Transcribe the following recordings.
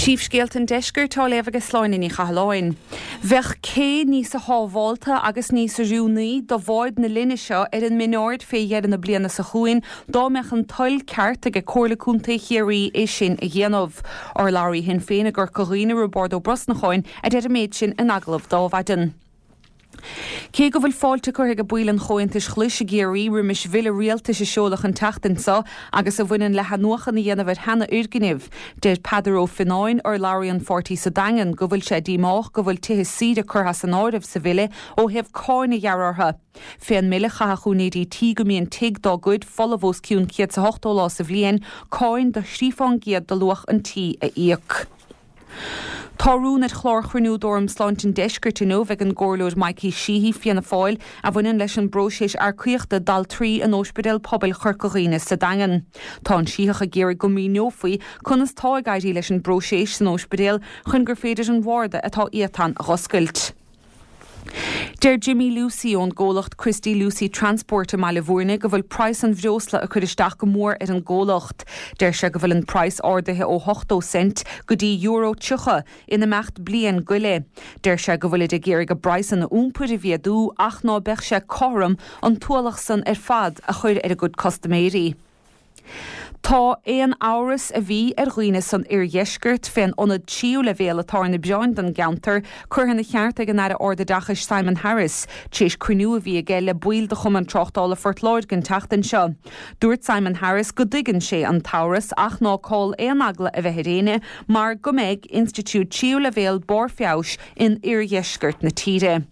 Príomhscéalta an Deiscirt á léamh ag Sláine Ní Chathalláin. Bheadh cé níosa shábhálta agus níos oiriúnaí do bháid na linne seo ar an mBinn Ard fé dheireadh na bliana seo chugainn dá mbeadh an toil ceart aige Comhairle Contae Chiarraí é sin a dhéanamh. Urlabhraí Shinn Féin i gCorca Dhuibhne, Roibeárd Ó Brosnacháin, a deir an méid sin in agallamh d'Adhmhaidin. Cé go bhfuil fáilte curtha ag baill an Chomhaontais Ghlais i gCiarraí roimis bhille rialtais a seoladh an tseachtain seo agus a bhaineann le hathnuachan a dhéanamh ar sheana-fhoirgnimh, deir Peadar Ó Fionnáin, urlabhraí an pháirtí sa Daingean, go bhfuil sé díomách go bhfuil tithe saoire curtha as an áireamh sa bhille ó thaobh cáin a ghearradh orthu. Fén mbille chaithfeadh úinéirí tí go mbíonn tigh dá gcuid folamh os cionn 180 lá sa bhliain cáin de thrí fán gcéad de luach an tí a íoc. Tá rún ar chlár chruinniú d'Fhóram Sláinte an Deiscirt inniu ag an gComhairleoir Mikey Sheehy, Fianna Fáil, a bhaineann leis an bpróiseas earcaíochta d'altraí in Óispidéal Pobail Chorca Dhuibhne sa Daingean. Tá an Sítheach ag iarraidh go míneofaí conas tá ag éirí leis an bpróiseas san óispidéal chun gur féidir an bharda atá iatán a dh'oscailt. Deir Jimmy Lucey ón gcomhlacht Christy Lucey Transport i mBaile Bhúirne go bhfuil praghas an bhreosla ag cur isteach go mór ar an gcomhlacht. Deir sé go bhfuil an praghas ardaithe ó 80 cent go dtí euro 30 in imeacht bliain go leith. Deir sé go bhfuilid ag iarraidh a bpraghsanna iompair a mhéadú ach ná beadh sé cothrom an t-ualach san ar fad a chur ar a gcuid custaiméirí. Tá aon amhras a bhí ar dhaoine san oirdheisceart fén ionad tríú leibhéal atá ar na bioráin don gceantar curtha ina cheart ag an Aire Ardoideachais Simon Harris tar éis cruinniú a bhí aige le baill de Chumann Tráchtála Phort Láirge an tseachtain seo. Dúirt Simon Harris go dtuigeann sé an t-amhras ach ná call aon eagla a bheith ar éinne mar go mbeidh institiúid tríú leibhéal barr feabhais in oirdheisceart na tíre.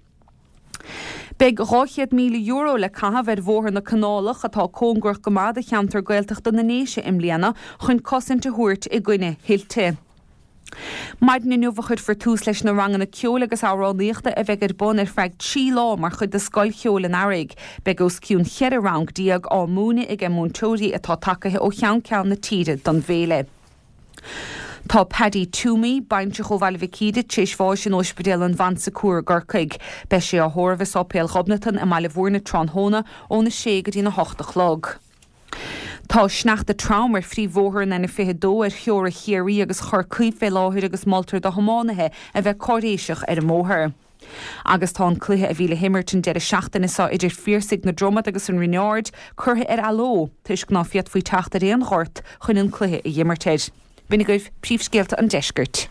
Beidh €200,000 le caitheamh ar Bhóthar na Canálach, atá cóngarach go maith do cheantar Gaeltachta na nDéise i mbliana, chun cosaint a thabhairt i gcoinne thuilte. Maidin inniu a chuirfear tús leis na ranganna ceoil agus amhránaíochta a bheidh ar bun ar feadh 3 lá mar chuid de Scoil Cheoil an Earraigh. Beidh os cionn 14 rang á múineadh aige múinteoirí atá tagaithe ó cheann ceann na tíre don bhféile. Tá Paddy Toomey, baintreach ó Bhaile Mhic Íde, tar éis bháis in Óispidéal an Bhon Secours i gCorcaigh. Beidh sé á thórramh i Sáipéal Ghobnatan i mBaile Bhúirne tráthnóna óna sé go dtí'n 8 a chlog. Tá sneachta trom ar phríomhbhóthar an N22 ar theora Chiarraí agus Chorcaí fé láthair agus moltar do thiománaithe a bheith cáiréiseach ar an mbóthar. Agus tá an cluiche a bhí le himirt an deireadh seachtaine seo idir Phiarsaigh na Dromad agus an Rinn Ard curtha ar athló toisc ná féadfaí teacht ar aon ghort chun an cluiche a dh'imirt air. B'in agaibh príomhscéalta an deiscirt.